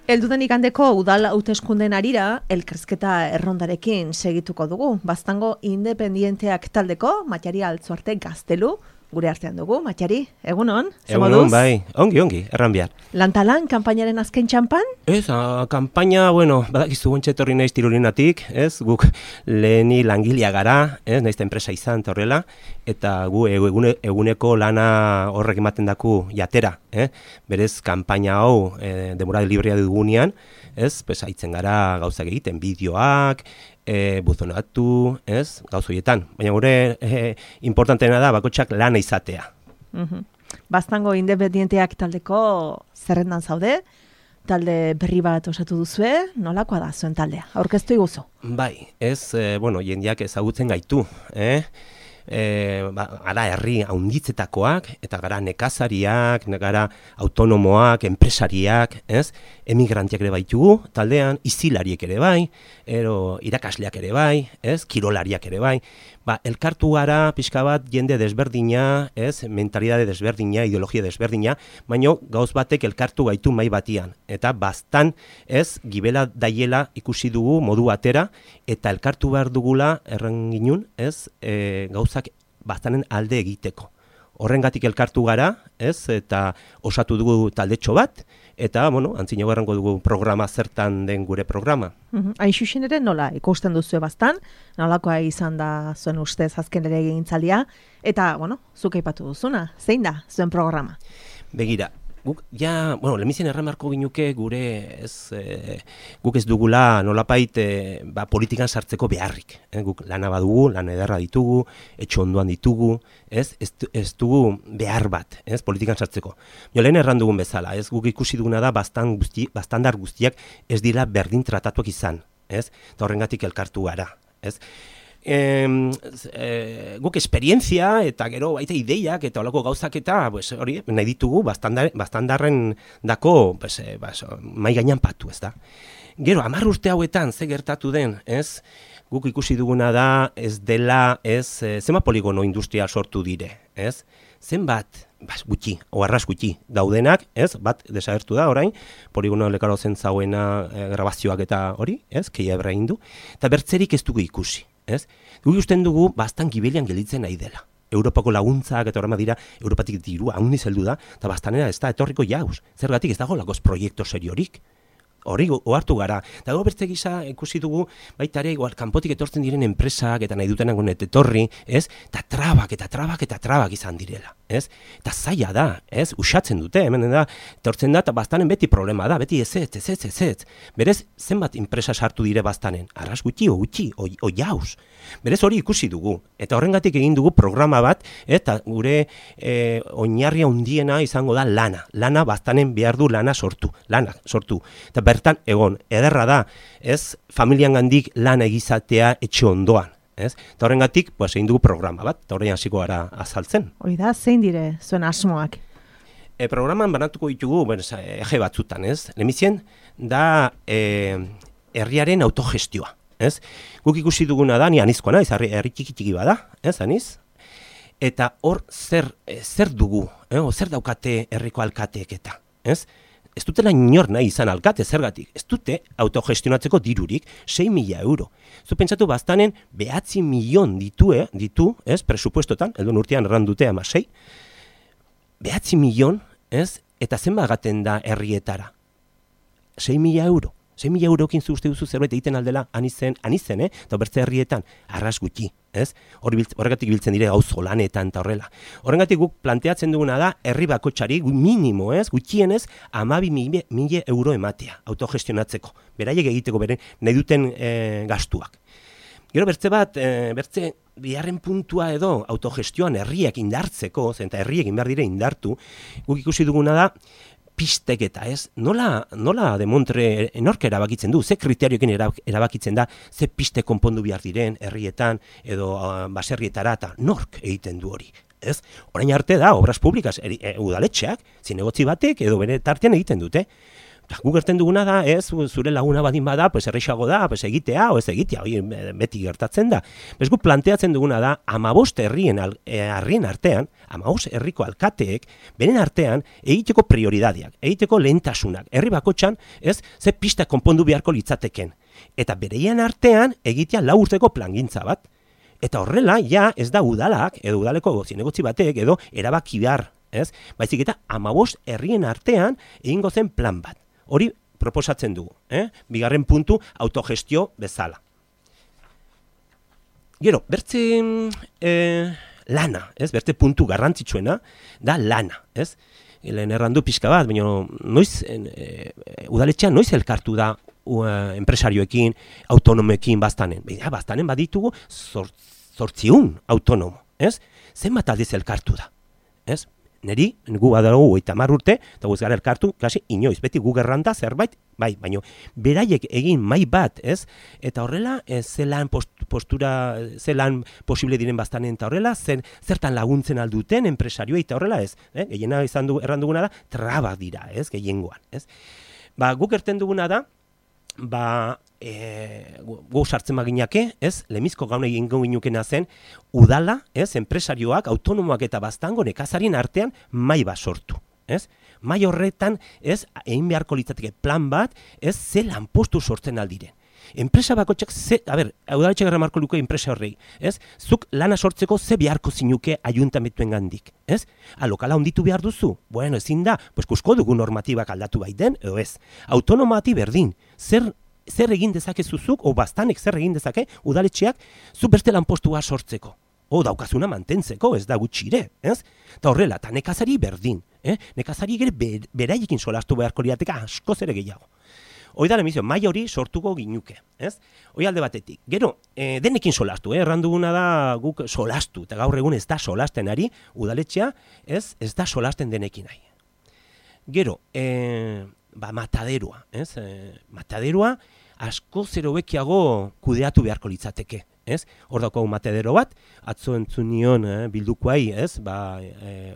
Eldudan ikandeko udal hauteskundeen arira, elkarrizketa errondarekin segituko dugu. Baztango independienteak taldeko, Matxari Altzuarte Gaztelu, gure artean dugu. Matxari, egunon? Egunon, bai, ongi, erran behar. Lantalan, kanpainaren azken txampan? Ez, kanpaina, badakizu gontxe etorri naiz Tirolinatik, ez, guk leheni langilea gara, ez, naizta enpresa izan, eta horrela, eta gu eguneko lana horrek ematen daku jatera, berez, kanpaina hau, demorade librea dugunean, ez, haitzen gara gauzak egiten, bideoak, buzonatu, ez, gauz horietan. Baina gure importanteena da bakotxak lana izatea. Baztango independienteak taldeko zerrendan zaude, talde berri bat osatu duzue, nolakoa da zuen taldea? Aurkeztu iguzu? Bai, ez, jendeak ezagutzen gaitu, gara herri haunditzetakoak, eta gara nekazariak, gara autonomoak, enpresariak, ez? Emigrantiak ere baitugu, taldean, izilariek ere bai, irakasleak ere bai, ez? Kirolariak ere bai. Elkartu gara pixka bat jende desberdina, ez? Mentalidade desberdina, ideologia desberdina, baino gauz batek elkartu gaitu mai batian. Eta bastan, ez? Gibela daiela ikusi dugu modu batera, eta elkartu behar dugula erran ginun, ez? Gauzak bastanen alde egiteko. Horrengatik elkartu gara, ez? Eta osatu dugu taldetxo bat, eta, antzinago errango dugu programa zertan den gure programa. Hain xuxen ere nola ikusten duzu bastan, nolakoa izan da zuen ustez azken ere egintzaldia, eta, zuk aipatu duzuna, zein da zuen programa? Begira, guk, lehenbizien erremarko ginuke gure, guk ez dugula nolapait politikan sartzeko beharrik. Guk lana badugu, lan ederra ditugu, etxo ondoan ditugu, ez dugu behar bat, politikan sartzeko. Lehen erran dugun bezala, guk ikusi duguna da bastandar guztiak ez dira berdin tratatuak izan, eta horrengatik elkartu gara. Guk esperientzia eta gero baita ideiak eta olako gauzak eta hori nahi ditugu bastandarren dako mai gainan patu, ez da. Gero, 10 urte hauetan ze gertatu den, guk ikusi duguna da ez dela, zenbat poligono industrial sortu dire, zenbat, gutxi, oharraz gutxi daudenak, bat desagertu da orain, poligono lekaro zen zauena grabazioak eta hori, keia ebra indu, eta bertzerik ez dugu ikusi. Guk usten dugu bastan gibelian gelditzen nahi dela. Europako laguntzak eta horrema dira, Europatik dirua handiz heldu da, eta bastanera ez da etorriko jauz. Zergatik ez dago lagoz proiektu seriorik. Hori ohartu gara. Eta gero bertze gisa ikusi dugu, baita ere, kanpotik etortzen diren enpresak eta nahi dutenak honet etorri, eta trabak izan direla. Eta zaila da, usatzen dute, hemen da, etortzen da, eta bastanen beti problema da, beti ez. Berez, zenbat enpresa sartu dire bastanen? Arras gutxi, o jauz. Berez hori ikusi dugu. Eta horrengatik egin dugu programa bat, eta gure oinarria handiena izango da lana. Lana bastanen behar du lana sortu. Eta bertan, egon, ederra da, familian gandik lana egizatea etxe ondoan. Eta horrengatik, egin dugu programa bat, eta horrein hasiko gara azaltzen. Hori da, zein dire zuen asmoak? Programan banatuko ditugu, eje batzutan, lehenbizien, da herriaren autogestioa. Guk ikusi duguna da, ni anizkoa naiz, herri txiki bada, aniz? Eta hor zer dugu, zer daukate herriko alkateek eta, ez dutela inor nahi izan alkate zergatik, ez dute autogestionatzeko dirurik 6.000 euro. Zu pentsatu bastanen 9 milion ditu, presupuestotan, elduen urtean erran dute 6, 9 milion, eta zenba gaten da herrietara? 6.000 euro. 6.000 eurokin uste duzu zerbait egiten aldela anizen, eta bertze herrietan, arras gutxi, horregatik biltzen dire gauzo lanetan eta horrela. Horregatik guk planteatzen duguna da, herri bakotxari, minimo, gutxienez, 12.000 euro ematea, autogestionatzeko, beraiek egiteko beren, nahi duten gastuak. Gero bertze biharren puntua edo autogestioan herriak indartzeko, eta herriek behar dire indartu, guk ikusi duguna da, pisteketa, nola demontre nork erabakitzen du, ze kriterioekin erabakitzen da, ze piste konpondu behar diren herrietan edo baserrietara eta nork egiten du hori. Orain arte da, obras publikas udaletxeak, zinegotzi batek edo bere tartean egiten dute. Gu gerten duguna da, zure laguna badin bada, pues errexago da, pues egitea, o ez egitea, beti gertatzen da. Gu planteatzen duguna da, 15 herrien artean, 15 herriko alkateek, beren artean, egiteko prioridadiak, egiteko lehentasunak, herri bakotxan, ze pista konpondu beharko litzateken. Eta bereien artean, egitea 4 urteko plangintza bat. Eta horrela, ja, ez da udalak, edo udaleko zinegotzi batek, edo erabaki behar, baizik eta 15 herrien artean, egingo zen plan bat. Hori proposatzen dugu, bigarren puntu autogestio bezala. Gero, bertze lana, bertze puntu garrantzitsuena, da lana, lehen errandu pixka bat, baina noiz, udaletxean noiz elkartu da enpresarioekin, autonomoekin baztanen. Baztanen baditugu 800 autonomo, zenbat aldiz elkartu da, Neri, gu badago 30 urte, eta guz gara elkartu, kasi inoiz, beti gu gerranda zerbait, bai, baina beraiek egin mai bat, eta horrela, zelan postura, zelan posible diren baztanen, eta horrela, zertan laguntzen alduten enpresarioa, eta horrela, gehiena erranduguna da, traba dira, gehiengoan, Guk erten duguna da, gu sartzen baginake, lemizko gauna egingo ginukena zen, udala, enpresarioak, autonomoak eta baztango nekazarien artean mai bat sortu. Mai horretan, egin beharko litzateke plan bat, ze lanpostu sortzen aldiren. Enpresa bakotxak, udaletxek erremarko luke enpresa horrei, zuk lana sortzeko ze beharko zinuke ayuntamentuen gandik, lokala onditu behar duzu, bueno, ezin da, kusko dugu normatibak aldatu baiten, edo ez, autonomati berdin, zer egin dezakezuzuk, o bastanek zer egin dezake, udaletxeak, zu beste lanpostua sortzeko, o daukazuna mantentzeko, ez da gutxire, eta horrela, eta nekazari berdin, nekazari gere beraiekin solastu beharko liateka askoz ere gehiago. Hoi da lemizio, mai hori sortuko ginuke, Hoi alde batetik. Gero, denekin solastu, erranduguna da guk solastu, eta gaur egun ez da solasten ari, udaletxea, ez da solasten denekin nahi. Gero, mataderoa, mataderoa asko zero bekiago kudeatu beharko litzateke, Hor daukagu matadero bat, atzo entzun nion bildukoai,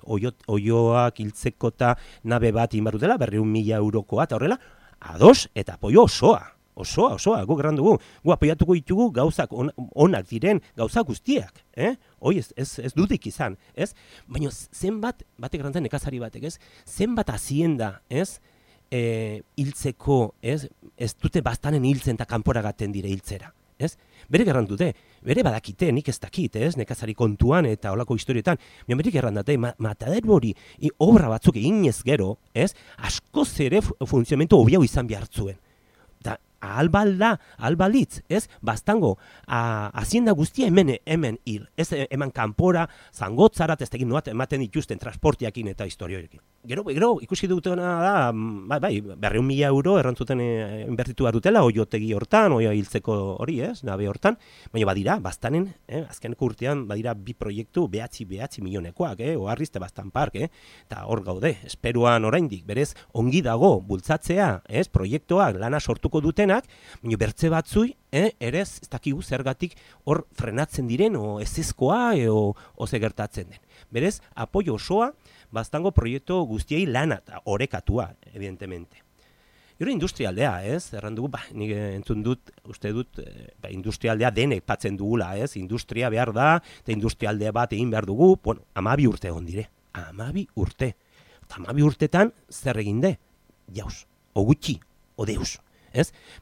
oioak hiltzeko eta nabe bat inbarutela, 200.000 eurokoa, eta horrela, ados eta apoio osoa, guk errandugu, gu apoiatuko ditugu gauzak onak diren, gauzak guztiak, hoi ez dudik izan, baina zenbat, batek errantzen nekazari batek, zenbat hazienda, hiltzeko, ez dute bastanen hiltzen eta kanporagaten dire hiltzera, Bere gerrandute, bere badakite, nik ez dakit, nekazari kontuan eta olako historietan, bere gerrandate, matadero hori, obra batzuk eginez gero, askoz ere funtzionamentu hobiau izan behartzuen. Da, albalitz, bastango, hazienda guztia hemen hil, eman kanpora, zangotzarat, ez tegin noat, ematen dituzten transportiakin eta historioekin. Gero, ikusi dutena da, 200.000 euro errantzuten inbertitu behar dutela, oiotegi hortan, oio hiltzeko hori, nabe hortan, baina badira, bastanen, azkeneko urtean, badira 2 proiektu, behatzi milionekoak, oharrizte bastan park, eta hor gaude, esperuan oraindik, berez, ongi dago, bultzatzea, proiektuak lana sortuko dutenak, baina bertze batzui, ere ez dakigu zergatik hor frenatzen diren, o ezezkoa, o ze gertatzen den. Berez, apoio osoa, bastango proiektu guztiei lana eta orekatua, evidentemente. Gero industrialdea, errandugu, nik entzun dut, uste dut, industrialdea denek patzen dugula, industria behar da, eta industrialdea bat egin behar dugu, 12 urte egon dire, 12 urte. Eta 12 urtetan zer eginde? Jauz, o gutxi, o deus.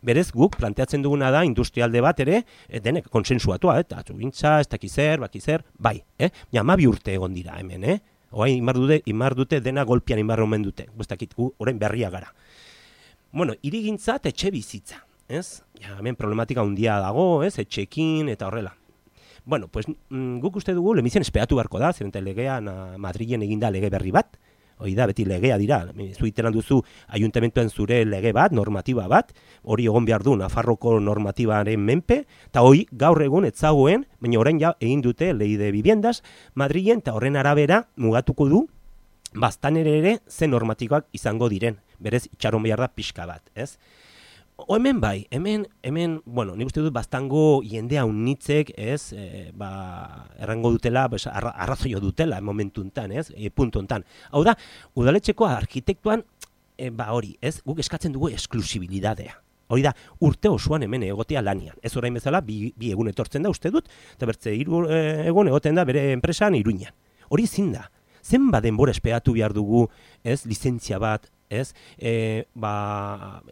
Berez guk planteatzen duguna da industrialde bat ere, denek konsensuatua, eta atzugintza, ez dakizer, bai, 12 urte egon dira hemen, Oain imar dute dena golpian imar omen dute. Guztakit gu, orain berria gara. Bueno, hirigintza eta etxe bizitza. Hemen problematika handia dago, etxekin eta horrela. Bueno, pues guk uste dugu lemizien esperatu beharko da, zeren legean Madrilen eginda lege berri bat. Hoi da, beti legea dira. Zuiteran duzu ayuntamentoen zure lege bat, normatiba bat, hori egon behar du Nafarroko normatibaren menpe, eta hoi gaur egun etzagoen, baina orain ja egin dute lei de viviendas Madrilen, eta horren arabera mugatuko du, baztanere ere zen normatibak izango diren. Berez, itxaron behar da pixka bat, hemen bai, hemen, bueno, nik uste dut bastango jendea unitzek, errango dutela, arrazoio dutela momentu enten, puntu enten. Hau da, udaletxeko arkitektuan hori, ez? Guk eskatzen dugu esklusibilidadea. Hori da, urte osoan hemen egotea lanian. Ez orain bezala, bi egun etortzen da uste dut, eta bertze 3 egun egoten da bere enpresan Iruñan. Hori ezin da. Zenbat denbora esperatu behar dugu, ez, lizentzia bat, ez,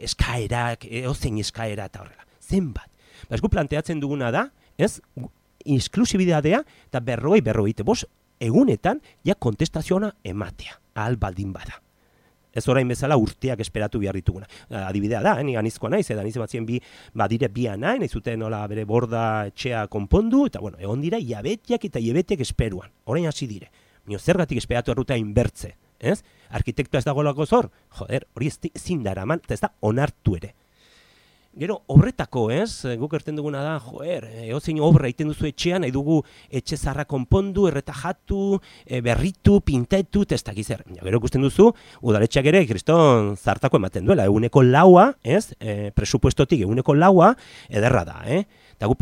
eskaerak, ozein eskaera eta horrela. Zenbat. Ez gu planteatzen duguna da, ez, esklusibidadea eta 40-45 egunetan ja kontestazioa ematea, ahal baldin bada. Ez orain bezala urteak esperatu behar dituguna. Adibidea da, ni anizkoa naiz, eta niz batzien badire nahi zuten nola bere borda etxea konpondu, eta bueno, egon dira hilabetiak eta hilabetiak esperuan. Orain hasi dire. Mino zergatik esperatu erruta inbertze, ez? Arkitektua ez dagoelako zor, joder, hori ezin da eraman, eta ez da onartu ere. Gero, obretako, ez? Guk erten duguna da, joder, eozein obra egiten duzu etxean, nahi dugu etxe zarra konpondu, erretajatu, berritu, pintetu, eta ez dakiz zer. Gero ikusten duzu, udaletxeak ere, kriston zartako ematen duela, 1/4, ez? Presupuestotik 1/4, ederra da, Eta guk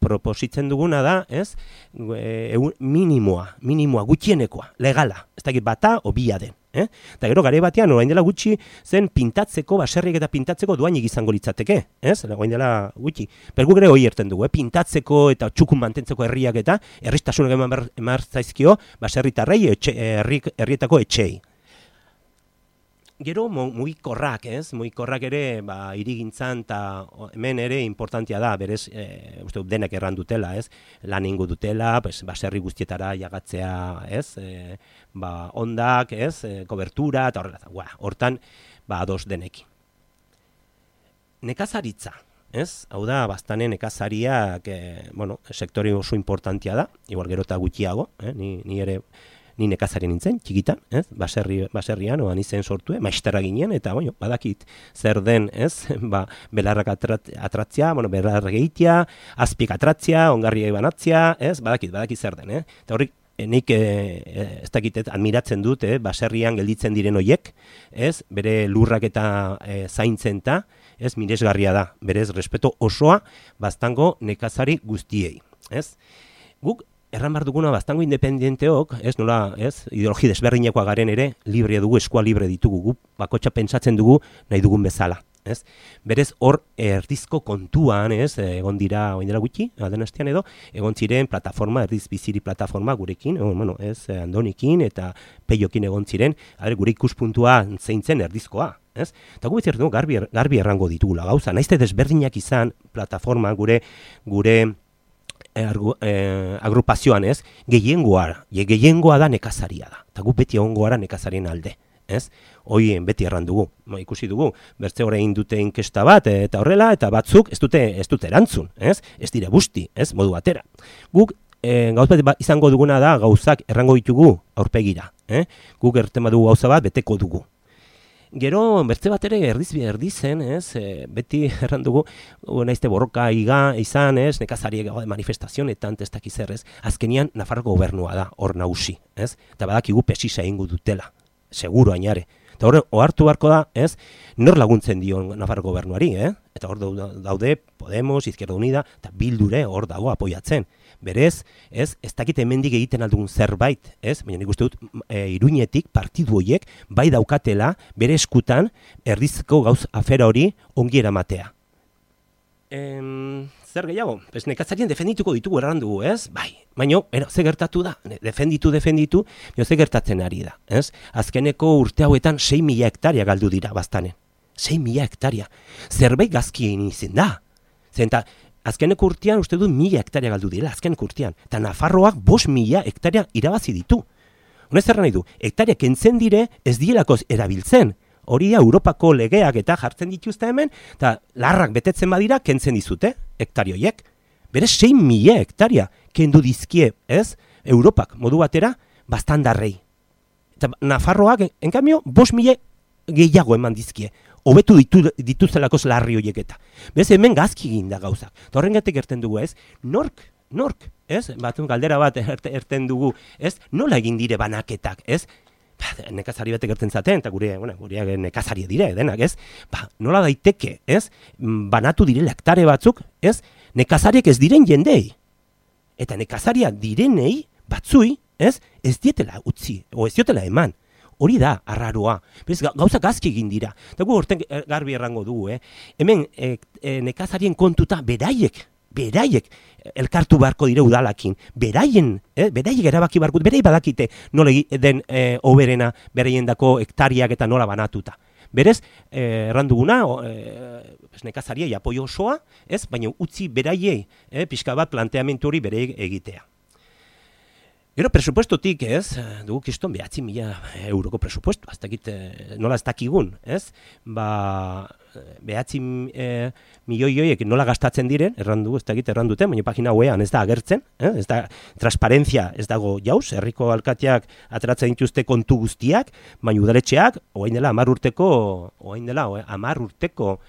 propositzen duguna da, ez? Minimoa, gutxienekoa, legala, ez dakit bata o bia den. Eta gero gare batean, orain dela gutxi zen pintatzeko, baserriek eta pintatzeko doainik izango litzateke, ez? Orain dela gutxi. Pergu gure hori erten dugu, pintatzeko eta txukun mantentzeko herriak eta herristasunak emar zaizkio baserritarrei herrietako etxei. Gero mugikorrak, ez? Mugikorrak ere hirigintzan eta hemen ere importantia da, berez, uste denek erran dutela, ez? Lan ingo dutela, baserri guztietara jagatzea, ez? Ondak, ez? Kobertura eta horrela. Hortan, ados denekin. Nekazaritza, ez? Hau da, bastane nekazariak, sektore oso importantia da, igual gero eta gutxiago, ni nekazari nintzen, txikitan, ez? Baserrian, oan izen sortue, maistera ginen, eta, badakit zer den, ez? Belarrak atratzia, belarrak egitea, azpik atratzia, ongarriak banatzia, ez? Badakit zer den, Eta horrik, nik ez dakitet admiratzen dut, baserrian gelditzen diren hoiek, ez? Bere lurrak eta zaintzen ta, ez? Miresgarria da, berez, respeto osoa, bastango nekazari guztiei, ez? Guk, erran behar duguna bastango independenteok, ez nola, ez, ideologi desberdinekoa garen ere, libre dugu, eskua libre ditugu, gu bakotxa pentsatzen dugu nahi dugun bezala, ez? Berez hor erdizko kontuan, ez, egon dira, oin dela gutxi, alden hastean edo, egon ziren plataforma, erdiz biziri plataforma gurekin, ez, Andonikin eta Peiokin egon ziren, gure ikuspuntua zeintzen erdizkoa, ez? Eta gu bezirtu dugu garbi errango ditugula gauza, naizte desberdinak izan plataforma gure agrupazioan, ez, gehiengoa da nekazaria da, eta gu beti egongo gara nekazarien alde, ez, hoien beti erran dugu, ikusi dugu, bertze orain dute inkesta bat, eta horrela, eta batzuk ez dute erantzun, ez dire busti, ez, modu batera. Guk gauz bat izango duguna da gauzak errango ditugu aurpegira, guk erten badugu gauza bat beteko dugu. Gero, bertze bat ere erdizen, ez, beti erran dugu, naizte borroka izan, ez, nekazariek manifestazionetan, ez dakiz ez, azkenian Nafarroko gobernua da, hor nagusi, ez, eta badakigu pesisa egingo dutela, seguro ainare. Eta hor, ohartu beharko da, ez, nor laguntzen dio Nafarroko gobernuari, eta hor daude Podemos, Izquierda Unida, eta Bildure hor dago apoiatzen. Berez, ez dakit hemendik egiten aldugun zerbait, ez? Baina nik uste dut Iruñetik partidu horiek bai daukatela bere eskutan erdizko gauz afera hori ongi eramatea. Zer gehiago? Nekazarien defendituko ditugu erran dugu, ez? Bai, baina, ze gertatu da? Defenditu, baina ze gertatzen ari da, ez? Azkeneko urte hauetan 6.000 hektaria galdu dira bastanen. 6.000 hektaria. Zerbait gazki egin izin da. Zenta, azkeneko urtean uste dut 1.000 hektaria galdu dira, azkeneko urtean. Eta Nafarroak 5.000 hektaria irabazi ditu. Honez zer nahi du, hektaria kentzen dire ez dielako erabiltzen. Hori Europako legeak eta jartzen dituzte hemen, eta larrak betetzen badira kentzen dizute, hektarioiek. Berez 6.000 hektaria kendu dizkie, ez? Europak modu batera, bastandarrei. Eta Nafarroak, en cambio, 5.000 gehiago eman dizkie. Hobetu dituztelako larri horiek eta. Bez hemen gazki egin da gauzak. Eta horrengatik erten dugu, ez? Nork, ez? Galdera bat erten dugu, ez? Nola egin dire banaketak, ez? Nekazari batek erten zaten, eta gure nekazari dire, denak, ez? Nola daiteke, ez? Banatu direla hektare batzuk, ez? Nekazariek ez diren jendei. Eta nekazaria direnei batzui, ez? Ez dietela utzi, o ez dietela eman. hori da arraroa. Berez, gauzak azki egin dira. Eta gu horten garbi errango dugu, Hemen nekazarien kontuta beraiek elkartu beharko dire udalakin. Beraiek erabaki beharko, beraiek badakite nola den oberena beraien dako hektariak eta nola banatuta. Berez, erranduguna, nekazariei apoio osoa, baina utzi beraiei, pixka bat planteamentu hori beraiek egitea. Gero, presupuestotik, dugu kiston 9.000 euroko presupuesto, nola ez dakigun, Ba, 9 milioi horiek nola gastatzen diren, erranduten, baina pagina web ez da agertzen, ez da, transparentzia ez dago jauz, herriko alkateak ateratzen dituzte kontu guztiak, baina udaletxeak, oain dela 10 urteko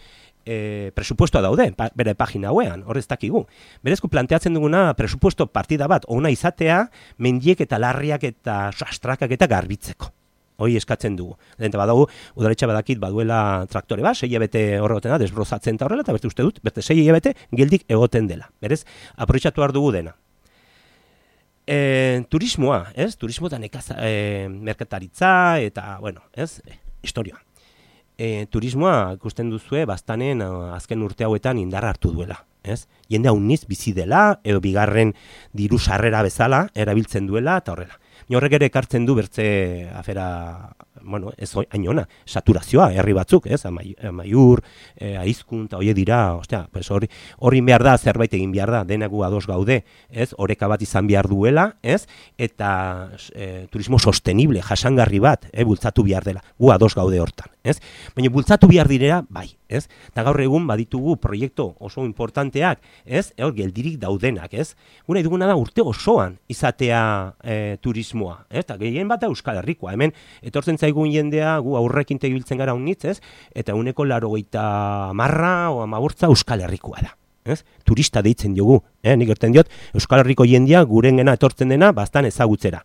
presupuestoa daude, bere pagina wean, horrez dakigu. Berezko planteatzen duguna presupuesto partida bat, ona izatea, mendiek eta larriak eta sastrakak eta garbitzeko. Hoi eskatzen dugu. Eta badago, udaletxa badakit baduela traktore bat, 6 hilabete horregoten da, desbrozatzen eta horrela, eta berte uste dut, berte 6 hilabete geldik egoten dela. Berez, aprobetxatu behar dugu dena. Turismoa, Turismo eta merkataritza, eta, bueno, historia. Turismoa ikusten duzue bastanen azken urte hauetan indarra hartu duela. Jende hauniz bizi dela, edo bigarren diru sarrera bezala, erabiltzen duela, eta horrela. Horrek ere ekartzen du bertze afera, bueno, ez hainona, saturazioa, herri batzuk, Amaiur, Aizkun, eta horiek dira, horri behar da, zerbait egin behar da, denagu ados gaude, oreka bat izan behar duela, eta turismo sostenible, jasangarri bat, bultzatu behar dela, gu ados gaude hortan, baina bultzatu behar direla, bai, eta gaur egun baditugu proiektu oso importanteak, hor geldirik daudenak, guna duguna da urte osoan izatea turismoa, eta gehien bat Euskal Herrikoa, hemen etortzen zaigun jendea, gu aurrekin tegibiltzen gara unitz, eta 90% o 15% Euskal Herrikoa da. Turista deitzen diogu, nik erten diot, Euskal Herriko jendea gurengena etortzen dena bastan ezagutzera,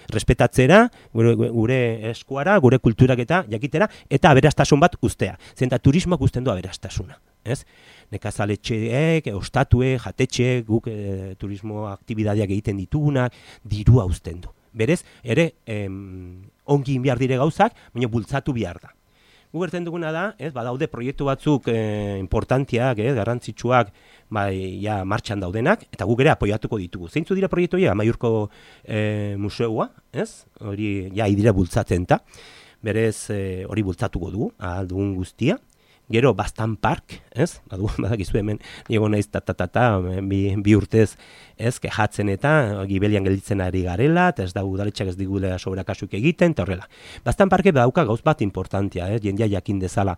respetatzera, gure eskuara, gure kulturak eta jakitera, eta aberastasun bat ustea. Zenta turismoak usten du aberastasuna. Nekazaletxeek, ostatue, jatetxe, guk turismo aktibidadeak egiten ditugunak, dirua usten du. Berez, ere, ongi behar dire gauzak, baina bultzatu behar da. Gu gertzen duguna da, badaude proiektu batzuk importantiak, garrantzitsuak, martxan daudenak, eta guk ere apoiatuko ditugu. Zeintzu dira proiektu hori, Amaiurko museoa, hori idira bultzatzen eta, berez hori bultzatuko dugu, ahal dugun guztia. Gero, Bastan Park, badakizu hemen, nigo naiz bi urtez, kejatzen eta gibelian gelditzen ari garela, eta ez da udaletxak ez digula sobrakasuk egiten, eta horrela. Bastan Parke dauka gauz bat importantia, jendea jakin dezala.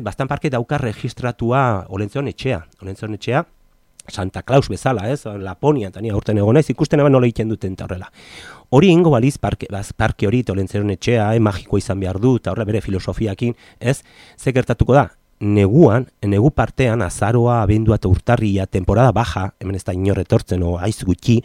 Bastan Parke dauka registratua Olentzion etxea, Santa Claus bezala, Laponia, eta nire aurten egon naiz, ikusten eban nola egiten duten, eta horrela. Hori ingo baliz parke hori, Olentzion etxea, magikoa izan behar du, eta horrela bere filosofiakin, ze gertatuko da? Negu partean, azaroa, abendua eta urtarria, temporada baja, hemen ez da inor etortzen, aiz gutxi,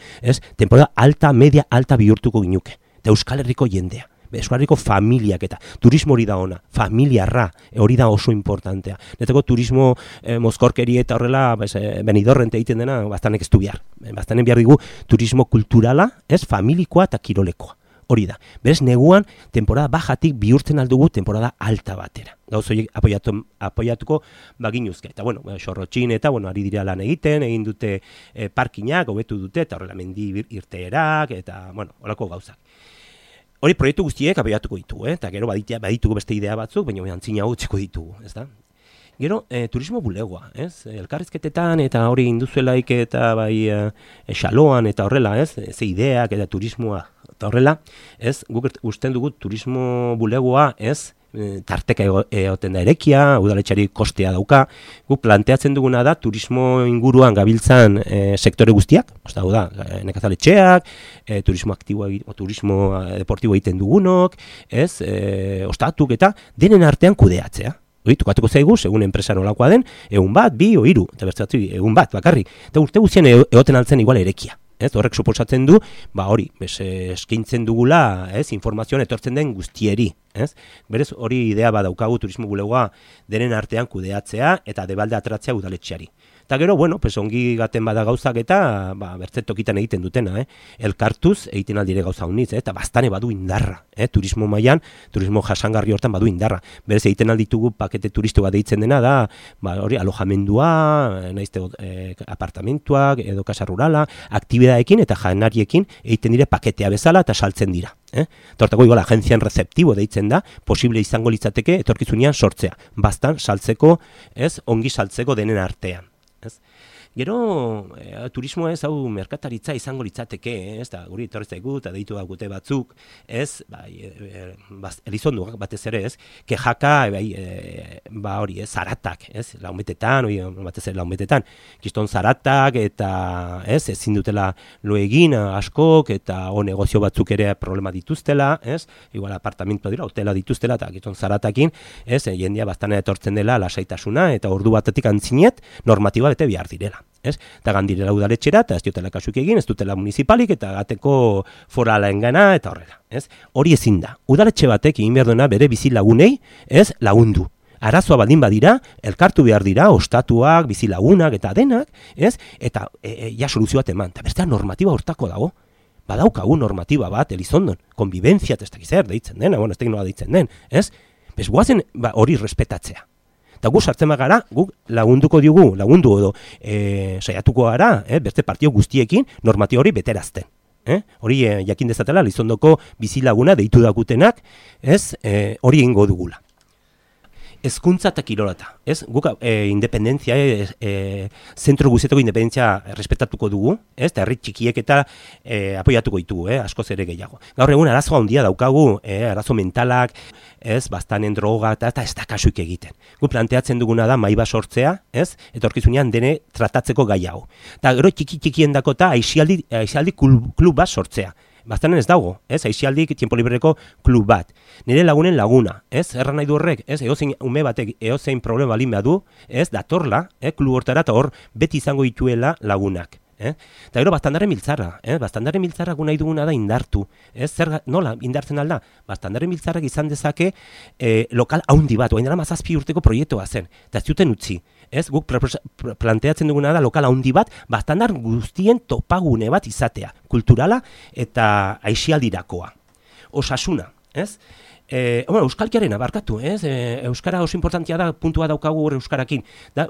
temporada alta, media, alta bihurtuko ginuke. Eta Euskal Herriko jendea, Euskal Herriko familiak eta turismo hori da ona, familiarra, hori da oso importantea. Netako turismo mozkorkeri eta horrela, Benidorren egiten dena, bastanek ez du behar. Bastanen behar digu turismo kulturala, familikoa eta kirolekoa. Hori da. Berez, neguan, temporada bajatik bihurtzen aldugu temporada alta batera. Gauz horiek apoiatuko baginuzke. Eta, bueno, xorrotxin eta, ari dira lan egin dute parkinak, hobetu dute, eta horrela mendi irteerak, eta, horako gauzak. Hori proiektu guztiek apoiatuko ditugu, eta gero baditugu beste idea batzuk, baina antzina utziko ditugu, ez da? Gero, turismo bulegoa, elkarrizketetan eta hori induzuelaik eta xaloan eta horrela, ze ideak eta turismoa eta horrela, guk usten dugu turismo bulegoa, tarteka egoten da erekia, udaletxari kostea dauka, guk planteatzen duguna da turismo inguruan gabiltzan sektore guztiak, da, nekazaletxeak, turismo aktiboa, turismo deportibo egiten dugunok, ostatuk eta denen artean kudeatzea. Tukatuko zaigu, segun enpresa nolakoa den, 1 bat, 2 o 3, eta bertzatzu 1 bat, bakarri. Eta urte guztien egoten altzen igual erekia. Horrek suposatzen du, hori, eskintzen dugula, informazioan etortzen den guztieri. Berez, hori idea badaukagu turismo bulegoa denen artean kudeatzea eta debalde ateratzea udaletxeari. Eta gero, bueno, pues ongi gaten bada gauzak eta bertzetokitan egiten dutena, elkartuz egiten aldire gauza honitz, eta bastane badu indarra, turismo mailan, turismo jasangarri hortan badu indarra. Berez egiten alditugu pakete turistikoa deitzen dena da, hori alojamendua, naizte apartamentuak edo kasa rurala, aktibidadeekin eta janariekin egiten dire paketea bezala eta saltzen dira. Tortako igual agentzian receptibo deitzen da, posible izango litzateke etorkizunean sortzea, bastan saltzeko, ongi saltzeko denen artean. Gero, turismoa hau merkataritza izango litzateke, guri etorri zaigu eta deitu gute batzuk, Elizonduak batez ere, kejaka, hori, zaratak, laumetetan, batez ere laumetetan, kiston zaratak eta ezin dutela lo egin askok eta negozio batzuk ere problema dituztela, igual apartamentua dira, hotela dituztela eta kiston zaratakin, jendia bastana etortzen dela lasaitasuna eta ordu batetik antzinet normatiba bete behar direla. Eta gandirela udaletxera, eta ez diotela kasuk egin, ez dutela municipalik, eta gateko forala engana, eta horrela. Hori ezin da. Udaletxe batek egin behar duena bere bizi lagunei, lagundu. Arazoa baldin badira, elkartu behar dira, ostatuak, bizi lagunak, eta denak, eta ja soluzio bat eman. Eta bestea normatiba hortako dago. Badaukagu normatiba bat, Elizondon, konbibentzia, ez dakiz deitzen den, ez dakiz nola deitzen den, bez guazen hori respetatzea. Eta gu sartzen bagara, guk lagundu edo saiatuko gara, beste partio guztiekin normatiba hori beterazten. Hori jakin dezatela, Elizondoko bizilaguna deitu dakutenak, hori egingo dugula. Hezkuntza eta kirolata. Guk independentzia, zentro guztietako independentzia respetatuko dugu, eta herri txikiek eta apoiatuko ditugu, askoz ere gehiago. Gaur egun arazo handia daukagu, arazo mentalak, bastanen droga eta ez da kasuik egiten. Guk planteatzen duguna da maiba sortzea, etorkizunean dene tratatzeko gai hau. Eta gero txikien dako eta aixialdi klub bat sortzea. Bastanen ez dago, aixialdik tiempo libreko klub bat. Nire lagunen laguna, erran nahi du horrek, eozein ume batek, eozein problema balin behar du, datorla, klub hortara eta hor beti izango dituela lagunak. Eta gero bastandarren biltzarra, bastandarren biltzarrak nahi duguna da indartu. Nola indartzen alda? Bastandarren biltzarrak izan dezake lokal haundi bat, oain dara 7 urteko proiektua zen, eta ez duten utzi. Guk planteatzen duguna da lokal haundi bat, bastandar guztien topagune bat izatea, kulturala eta aixialdirakoa. Osasuna, euskalkiaren abarkatu, euskara oso importantia da, puntua daukagu euskarakin, da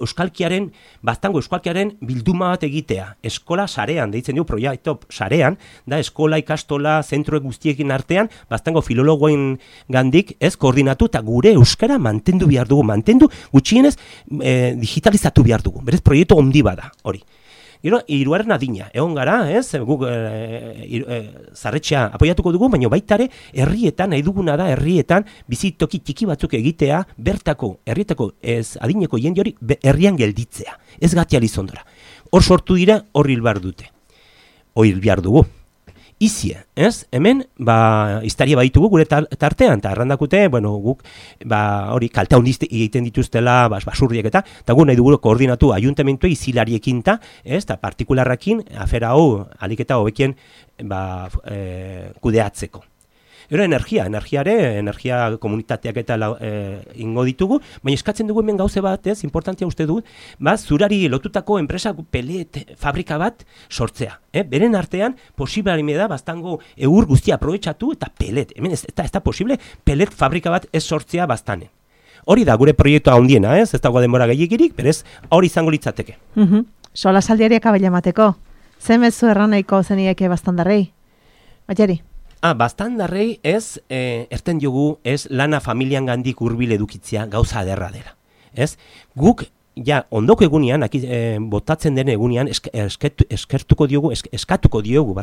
bastango euskalkiaren bilduma bat egitea, eskola sarean, deitzen dugu proiektu sarean, da eskola ikastola zentro guztiekin artean, bastango filologoen gandik, koordinatu eta gure euskara mantendu behar dugu, gutxienez digitalizatu behar dugu, berez proiektu handi bada, hori. Gero, hiruaren adina, egon gara, guk zarretxea apoiatuko dugu, baina baitare herrietan, nahi duguna da herrietan, bizitoki txiki batzuk egitea, bertako, herrietako adineko jende hori herrian gelditzea, ez gatia Elizondora. Hor sortu dira, hor hil behar dute. Hor hil behar dugu. Izie, hemen, iztaria baitugu gure tartean, eta errandakute, guk, hori, kaltea hondiz egiten dituztela, basurriek eta gu nahi dugu koordinatu ayuntamentua izilariekin eta partikularrakin, afera hau, aliketa hobekien, kudeatzeko. Gero energia komunitateak eta ingo ditugu, baina eskatzen dugu hemen gauze bat, importantia uste dut, zurari lotutako enpresa pelet fabrika bat sortzea. Beren artean, posible da, bastango eur guztia aprobetxatu eta pelet. Hemen ez da posible pelet fabrika bat ez sortzea bastanen. Hori da gure proiektua handiena, ez dago denbora gehiegirik, berez hori izango litzateke. Sola saldiariak abaila mateko. Zemezu erranaiko zenieke bastandarrei? Matiari? Bastandarrei erten diogu lana familian gandik hurbil edukitzea gauza aderra dela. Guk, ondoko egunean, botatzen den egunean, eskatuko diogu,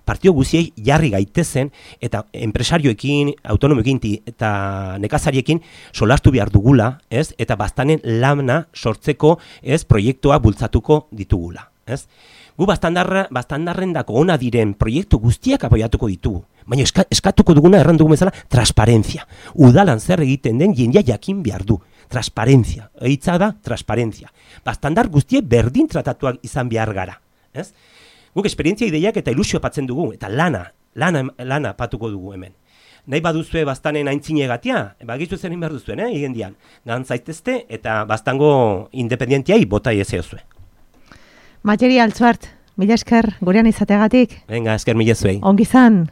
partio guziei jarri gaitezen, eta enpresarioekin, autonomoekin eta nekazariekin solastu behar dugula, eta bastanen lana sortzeko proiektua bultzatuko ditugula. Gu bastandarren dako ona diren proiektu guztiak apoiatuko ditugu. Baina eskatuko duguna erran dugu bezala transparentzia. Udalan zer egiten den jendia jakin behar du. Transparentzia. Eitza da transparentzia. Bastandar guztiek berdin tratatuak izan behar gara. Guk esperientzia ideiak eta ilusio patzen dugu. Eta lana patuko dugu hemen. nahi baduzue bastanen aintzinegatia, bagizu zer egin behar duzuen, higendian. Gan zaitezte eta bastango independentiai bota ezeozue. Matxeri Altzuart, mila esker gurean izateagatik. Venga, esker mila zuei. Ongi zan.